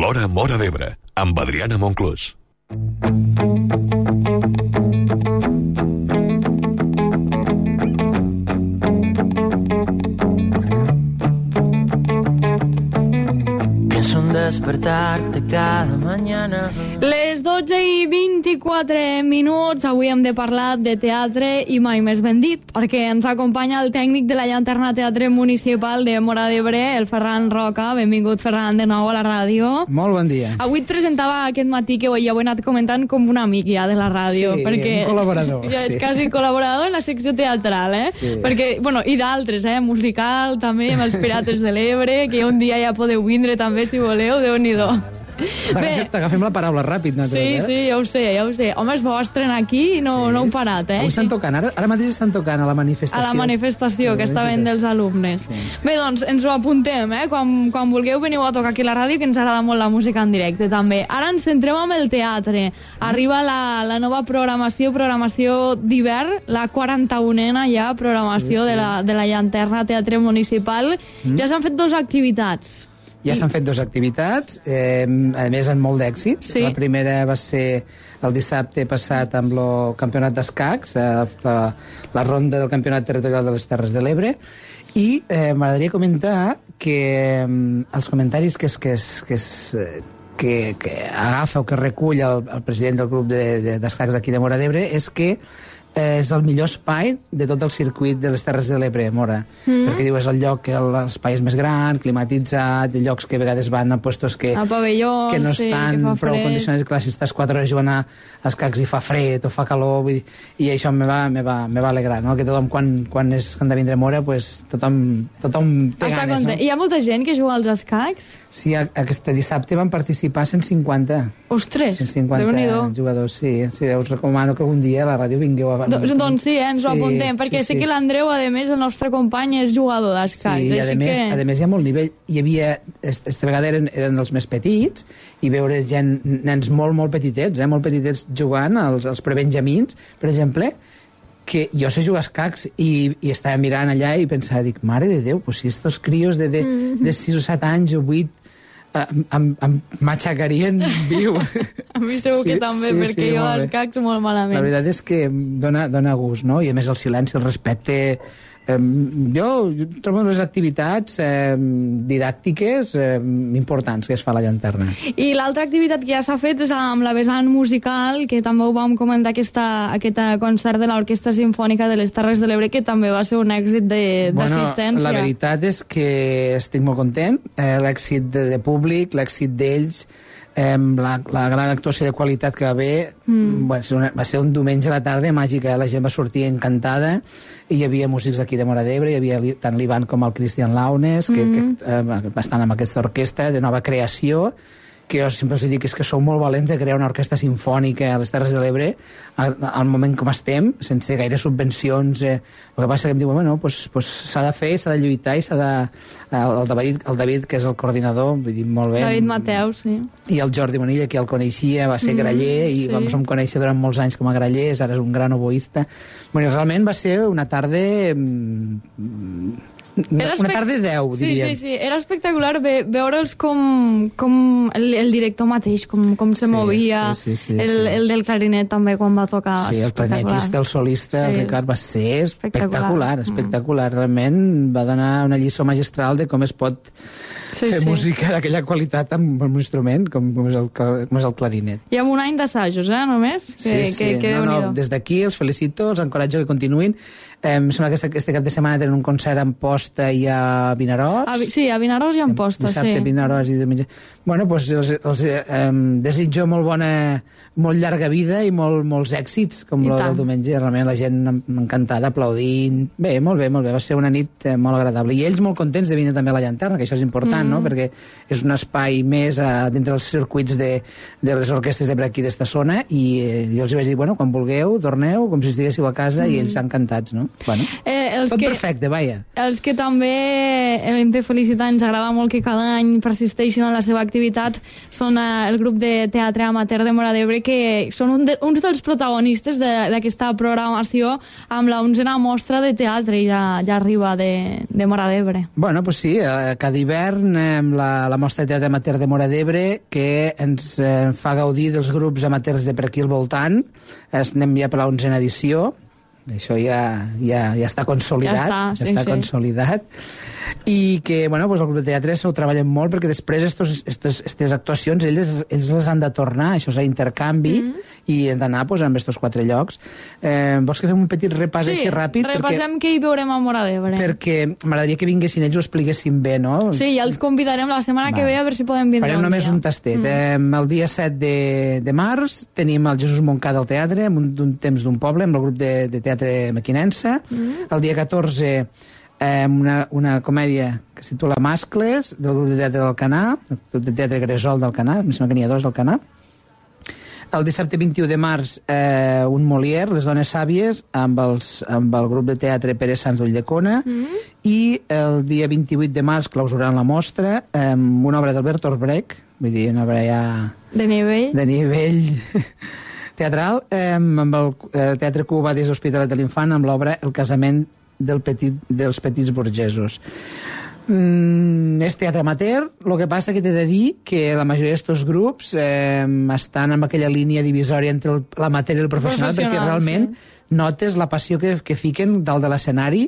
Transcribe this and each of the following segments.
L'Hora Móra d'Ebre, amb Adriana Monclús. Despertarte cada mañana. Les 12:24, avui hem de parlar de teatre i mai més ben dit, perquè ens acompanya el tècnic de la Llanterna Teatre Municipal de Móra d'Ebre, el Ferran Roca. Benvingut, Ferran, de nou a la ràdio. Molt bon dia. Avui et presentava aquest matí, que ja ho he anat comentant, com un amic ja de la ràdio. Sí, perquè un col·laborador. Ja és sí. quasi col·laborador en la secció teatral, Sí. Perquè, bueno, i d'altres, musical també, amb els Pirates de l'Ebre, que un dia ja podeu vindre també, si voleu, Déu-n'hi-do. T'agafem la paraula ràpid, nosaltres, Sí, ja ho sé. Home, és vostre aquí i no heu parat, Avui estan tocant, ara mateix estan tocant a la manifestació. A la manifestació, que està ben dels alumnes. Sí. Bé, doncs, ens ho apuntem, Quan vulgueu veniu a tocar aquí a la ràdio, que ens agrada molt la música en directe, també. Ara ens centrem en el teatre. Arriba la nova programació d'hivern, la 41a ja programació de la Llanterna Teatre Municipal. Ja s'han fet 2 activitats. Ja s'han fet 2 activitats, a més amb molt d'èxit. Sí. La primera va ser el dissabte passat amb el campionat d'escacs, la ronda del campionat territorial de les Terres de l'Ebre, i m'agradaria comentar que els comentaris que agafa o que recull el president del grup d'escacs d'aquí de Móra d'Ebre és que és el millor espai de tot el circuit de les Terres de l'Ebre, Móra. Perquè diu, és el lloc que l'espai és més gran, climatitzat, llocs que a vegades van a puestos que no estan prou condicionats. Clar, si estàs 4 hores jugant a escacs i fa fred o fa calor, vull dir, i això me va alegrar, no? Que tothom, quan han de vindre a Móra, pues, tothom té ganes, no? Hi ha molta gent que juga als escacs? Sí, aquest dissabte van participar 150. Ostres, 150 Déu-n'hi-do. jugadors, sí. Us recomano que algun dia a la ràdio vingueu a... Doncs sí, ens ho apuntem, perquè sé que l'Andreu, a més, el nostre company, és jugador d'escacs. Sí, i a més hi ha molt nivell. Hi havia, aquesta vegada eren els més petits, i veure nens molt petitets, molt petitets jugant, els prebenjamins, per exemple, que jo sé jugar a escacs i estava mirant allà i pensava, mare de Déu, pues si estos crios de 6 o 7 anys o 8 em matxacarien viu. A mi segur que també, perquè jo d'escacs molt malament. La veritat és que dona gust, no? I a més el silenci, el respecte... Jo trobo les activitats didàctiques importants que es fa a la Llanterna. I l'altra activitat que ja s'ha fet és amb la vessant musical, que també ho vam comentar, aquest concert de l'Orquestra Simfònica de les Terres de l'Ebre, que també va ser un èxit d'assistència. La veritat és que estic molt content. L'èxit de públic, l'èxit d'ells, la gran actuació de qualitat que va haver, va ser un diumenge a la tarda màgica, la gent va sortir encantada, i hi havia músics d'aquí de Móra d'Ebre, hi havia tant l'Ivan com el Cristian Launes, que estan amb aquesta orquestra de nova creació, que jo sempre els dic que sou molt valents de crear una orquestra simfònica a les Terres de l'Ebre al moment com estem, sense gaire subvencions. El que passa que em diuen, s'ha de fer, s'ha de lluitar, i s'ha de... El David, que és el coordinador, vull dir, molt bé. David Mateus, sí. I el Jordi Monilla, que el coneixia, va ser graller, i vam conèixer durant molts anys com a grallers, ara és un gran oboista. Realment va ser una tarda... Una tarda 10, diríem. Sí, era espectacular veure'ls com el director mateix, com se movia, el del clarinet també quan va tocar. Sí, el clarinetista, el solista, el Ricard, va ser espectacular. Realment va donar una lliçó magistral de com es pot fer música d'aquella qualitat amb un instrument com és el clarinet. I amb un any d'assajos, només? Des d'aquí els felicito, els encoratjo que continuïn. Em sembla que este cap de setmana tenen un concert en posta i a Vinaròs. Sí, a Vinaròs i en posta, dissabte, Vinaròs i diumenge. Bueno, doncs els desitjo molt llarga vida i molts èxits, com el del diumenge. Realment la gent encantada, aplaudint. Bé, molt bé. Va ser una nit molt agradable. I ells molt contents de venir també a la Llanterna, que això és important, no? Perquè és un espai més dintre dels circuits de les orquestres de per aquí d'esta zona, i jo els vaig dir, quan vulgueu, torneu, com si estiguéssiu a casa, i ells encantats, no? Tot perfecte, vaja. Els que que també hem de felicitar, ens agrada molt que cada any persisteixin en la seva activitat, són el grup de teatre amateur de Móra d'Ebre, que són uns dels protagonistes d'aquesta programació amb la 11a mostra de teatre, ja arriba de Móra d'Ebre. Bueno, pues sí, cada hivern la mostra de teatre amateur de Móra d'Ebre, que ens fa gaudir dels grups amateurs de per aquí al voltant. Anem ja per la 11a edició. Això ja està consolidat. Ja està consolidat. I que, bueno, pues el grup de teatre s'ho treballen molt, perquè després aquestes actuacions ells les han de tornar, això és a intercanvi, i han d'anar pues, amb aquests 4 llocs. Vols que fem un petit repàs així ràpid? Sí, repassem què hi veurem a Móra d'Ebre. Perquè m'agradaria que vinguessin ells, ho expliquessin bé, no? Sí, ja els convidarem la setmana que ve a veure si podem vindre. Farem només un tastet. El dia 7 de març tenim el Jesús Moncada al teatre, amb un temps d'un poble, amb el grup de teatre Mequinensa. El dia 14 una comèdia que es titula Mascles, del grup de teatre d'Alcanar, el grup de teatre Gresol d'Alcanar, em sembla que n'hi ha 2 d'Alcanar. El dissabte 21 de març un Molière, Les dones sàvies, amb el grup de teatre Pere Sans d'Ulldecona, i el dia 28 de març clausurant la mostra una obra d'Albert Orbrech, vull dir, una obra ja... De nivell teatral, amb el Teatre Cuba des d'Hospitalet de l'Infant, amb l'obra El casament dels petits burgesos. És teatre amateur, el que passa que t'he de dir que la majoria d'aquests grups estan en aquella línia divisòria entre l'amateur i el professional, perquè realment notes la passió que fiquen dalt de l'escenari,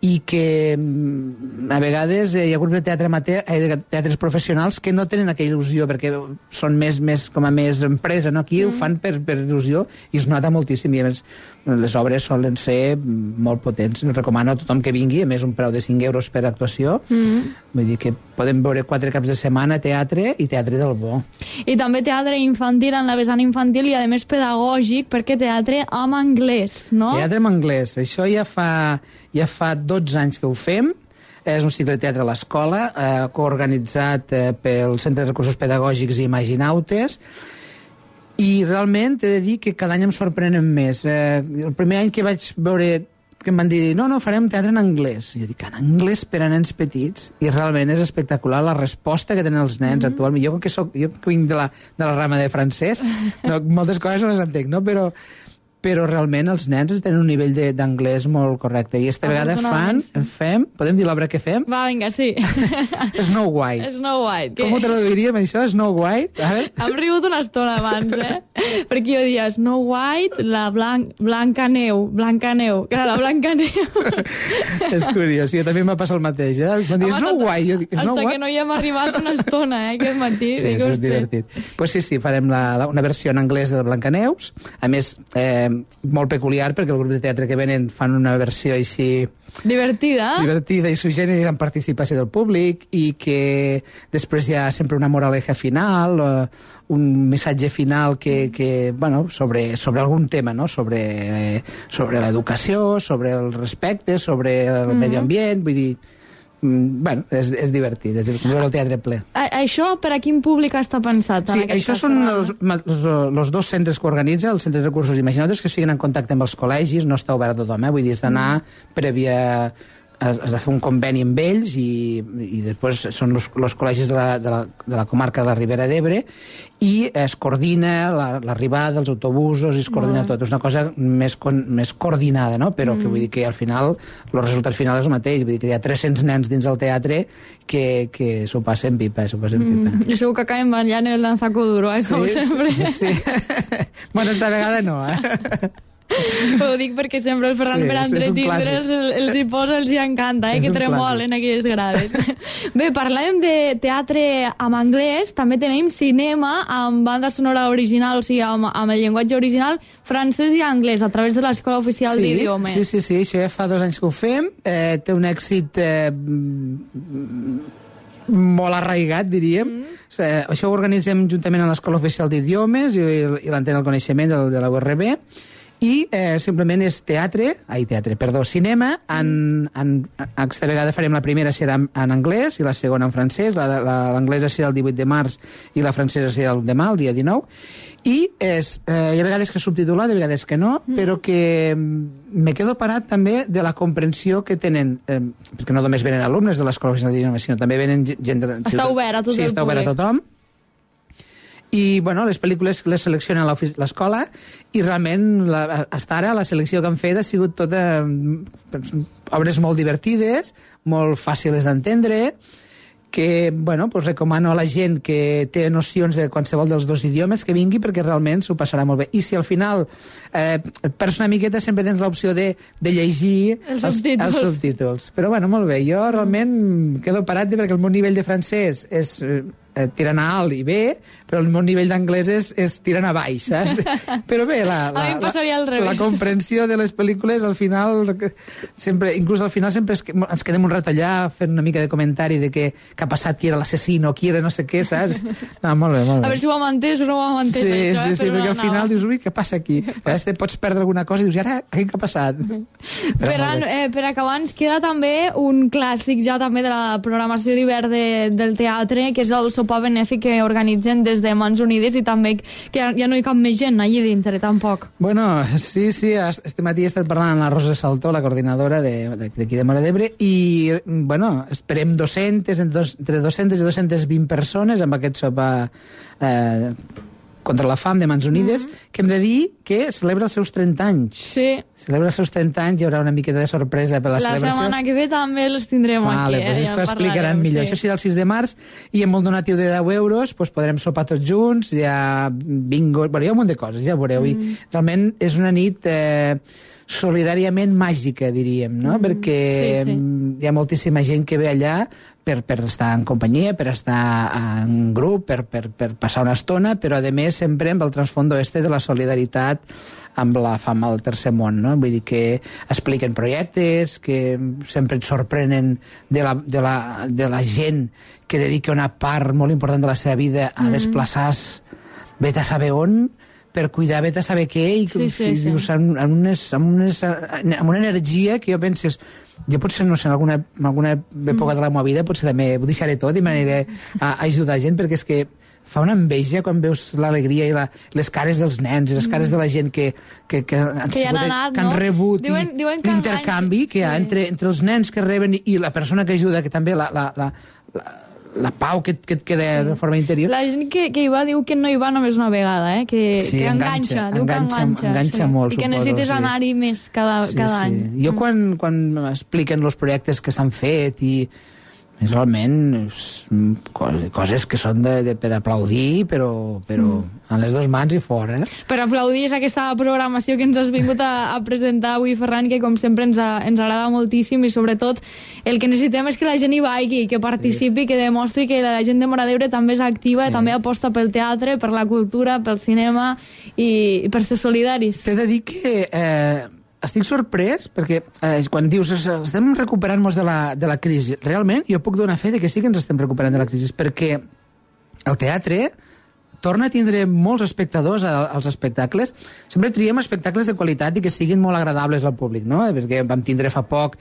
i que a vegades hi ha grups de teatre amateur, teatres professionals que no tenen aquella il·lusió, perquè són més com a més empresa, no? Aquí ho fan per il·lusió i es nota moltíssim, i a més les obres solen ser molt potents. Recomano a tothom que vingui, a més un preu de 5 euros per actuació. Vull dir que podem veure 4 caps de setmana teatre, i teatre del bo. I també teatre infantil en la vessant infantil, i a més pedagògic, perquè teatre en anglès, no? Teatre en anglès. Això ja fa 12 anys que ho fem. És un cicle de teatre a l'escola, coorganitzat pel Centre de Recursos Pedagògics i Imaginautes, i realment he de dir que cada any em sorprenen més. El primer any que vaig veure que em van dir, no, farem teatre en anglès. I jo dic, en anglès per a nens petits? I realment és espectacular la resposta que tenen els nens actualment. Jo que vinc de la rama de francès, moltes coses no les entenc, no? Però realment els nens tenen un nivell d'anglès molt correcte. I esta vegada fem... Podem dir l'obra que fem? Va, vinga, sí. Snow White. Snow White. Com ho traduiríem, això? Snow White? Hem rigut una estona abans, Perquè jo dia Snow White, la Blanca Neu, que era la Blanca Neu. És curiós, jo també m'ha passat el mateix, Quan dius Snow White, jo dic, Snow White? Hasta que no hi hem arribat una estona, aquest matí. Sí, això és divertit. Pues sí, farem una versió en anglès de la Blancaneus. A més, molt peculiar, perquè el grup de teatre que venen fan una versió així divertida i suggerir amb participació del públic, i que després hi ha sempre una moraleja final, un missatge final que bueno, sobre algun tema, no? Sobre l'educació, sobre el respecte, sobre el medi ambient, vull dir, bueno, és divertit, és veure el teatre ple. Això per a quin públic està pensat? Sí, això són els 2 centres que organitza, el Centre de Recursos Imaginautes, que es fiquen en contacte amb els col·legis, no està obert a tothom, vull dir, has d'anar prèvia... Has de fer un conveni amb ells, i després són els col·legis de la comarca de la Ribera d'Ebre, i es coordina l'arribada dels autobusos, i es coordina tot. És una cosa més coordinada, no? Però que vull dir que al final el resultat final és el mateix. Vull dir que hi ha 300 nens dins del teatre que s'ho passen pipa, I segur que acaben ballant el lanzaco duro, com sempre. Sí. Bueno, esta vegada no, Ho dic perquè sempre el Ferran per entretindre'ls els hi posa, els hi encanta, que tremolen aquelles grades. Bé, parlàvem de teatre en anglès, també tenim cinema amb banda sonora original, o sigui, amb el llenguatge original francès i anglès, a través de l'Escola Oficial d'Idiomes. Sí, això ja fa 2 anys que ho fem, té un èxit molt arraigat, diríem. Això ho organitzem juntament amb l'Escola Oficial d'Idiomes i l'Antena del Coneixement de la URB, i simplement és cinema. Aquesta vegada farem la primera serà en anglès i la segona en francès. L'anglesa serà el 18 de març i la francesa serà el demà, el dia 19. I hi ha vegades que és subtitulat, hi ha vegades que no, però que me quedo parat també de la comprensió que tenen, perquè no només venen alumnes de l'Escola Professional d'Idioma, sinó també venen gent... Està obert a tot el públic. Sí, està obert a tothom. I, bueno, les pel·lícules les selecciona l'escola i realment, fins ara, la selecció que han fet ha sigut tota obres molt divertides, molt fàcils d'entendre, que, bueno, pues recomano a la gent que té nocions de qualsevol dels dos idiomes que vingui perquè realment s'ho passarà molt bé. I si al final et perds una miqueta, sempre tens l'opció de llegir els subtítols. Però, bueno, molt bé. Jo realment quedo parat perquè el meu nivell de francès és... tirant a alt i bé, però el meu nivell d'anglès és tirant a baix, saps? Però bé, la comprensió de les pel·lícules al final sempre, inclús al final sempre ens quedem un rato allà fent una mica de comentari de què ha passat, qui era l'assassino, qui era no sé què, saps? No, molt bé, molt bé. A veure si ho hem entès o no ho hem entès, això, sí, perquè al final dius, ui, què passa aquí? A vegades te pots perdre alguna cosa i dius, ara, què ha passat? Ferran, per acabar ens queda també un clàssic ja també de la programació d'hivern del teatre, que és el sopar benèfic que organitzen des de Mans Unides i també que ja no hi cap més gent allà dintre, tampoc. Bueno, sí, este matí he estat parlant amb la Rosa Saltó, la coordinadora d'aquí de Móra d'Ebre, i, bueno, esperem entre 200 i 220 persones amb aquest sopar contra la fam de Mans Unides, que hem de dir que celebra els seus 30 anys. Sí. Celebra els seus 30 anys, hi haurà una miqueta de sorpresa per la celebració. La setmana que ve també els tindrem aquí. Pues ja això explicaran millor. Sí. Això serà el 6 de març i amb el donatiu de 10 euros pues podrem sopar tots junts, hi ha bingo, bueno, hi ha un munt de coses, ja veureu. I realment és una nit solidàriament màgica, diríem, no? Perquè hi ha moltíssima gent que ve allà per estar en companyia, per estar en grup, per passar una estona, però a més sempre amb el transfondo de la solidaritat amb la fam al tercer món, no? Vull dir que expliquen projectes, que sempre et sorprenen de la gent que dedica una part molt important de la seva vida a desplaçar-se, vet a saber on, per cuidar a saber què, i dius, amb una energia que jo penses, jo potser, no sé, en alguna època de la meva vida potser també ho deixaré tot i m'aniré a ajudar gent, perquè és que fa una enveja quan veus l'alegria i les cares dels nens i les cares de la gent que han rebut l'intercanvi que hi ha entre els nens que reben i la persona que ajuda, que també la pau que et queda de forma interior. La gent que hi va diu que no hi va només una vegada, que enganxa. Enganxa molt, i que necessites anar-hi més cada any. Jo quan m'expliquen els projectes que s'han fet i realment coses que són per aplaudir, però en les dues mans i fora. Per aplaudir és aquesta programació que ens has vingut a presentar avui, Ferran, que com sempre ens agrada moltíssim, i sobretot el que necessitem és que la gent hi vagi, que participi, que demostri que la gent de Móra d'Ebre també és activa, també aposta pel teatre, per la cultura, pel cinema i per ser solidaris. T'he de dir que estic sorprès perquè quan dius estem recuperant-nos de la crisi, realment jo puc donar fe de que sí que ens estem recuperant de la crisi, perquè el teatre torna a tindre molts espectadors als espectacles. Sempre triem espectacles de qualitat i que siguin molt agradables al públic, no? Perquè vam tindre fa poc,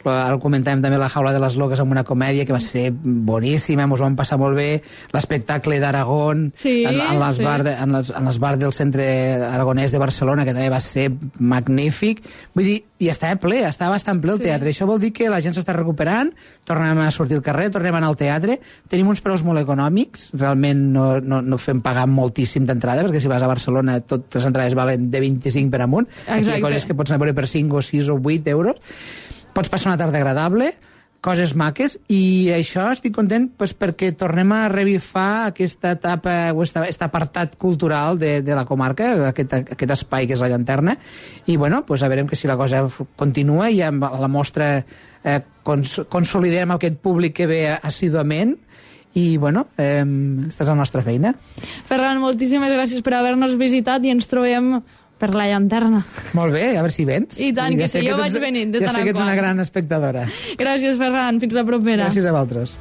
ara comentàvem també La jaula de les loques amb una comèdia que va ser boníssima, ens ho vam passar molt bé, l'espectacle d'Aragón en les bars del Centre Aragonès de Barcelona, que també va ser magnífic. Vull dir, i estava ple, estava bastant ple el teatre. Això vol dir que la gent s'està recuperant, tornem a sortir al carrer, tornem a anar al teatre, tenim uns preus molt econòmics, realment no fem pagar moltíssim d'entrada, perquè si vas a Barcelona totes les entrades valen de 25 per amunt. Aquí hi ha coses que pots anar a veure per 5 o 6 o 8 euros. Pots passar una tarda agradable, coses maques, i això estic content perquè tornem a revifar aquesta etapa o aquest apartat cultural de la comarca, aquest espai que és la llanterna, i bueno, a veure si la cosa continua i amb la mostra consolidem aquest públic que ve assíduament. I, bueno, aquesta és la nostra feina. Ferran, moltíssimes gràcies per haver-nos visitat i ens trobem per la llanterna. Molt bé, a veure si vens. I tant, que sí, jo vaig venint de tant en quant. Ja sé que ets una gran espectadora. Gràcies, Ferran, fins la propera. Gràcies a vosaltres.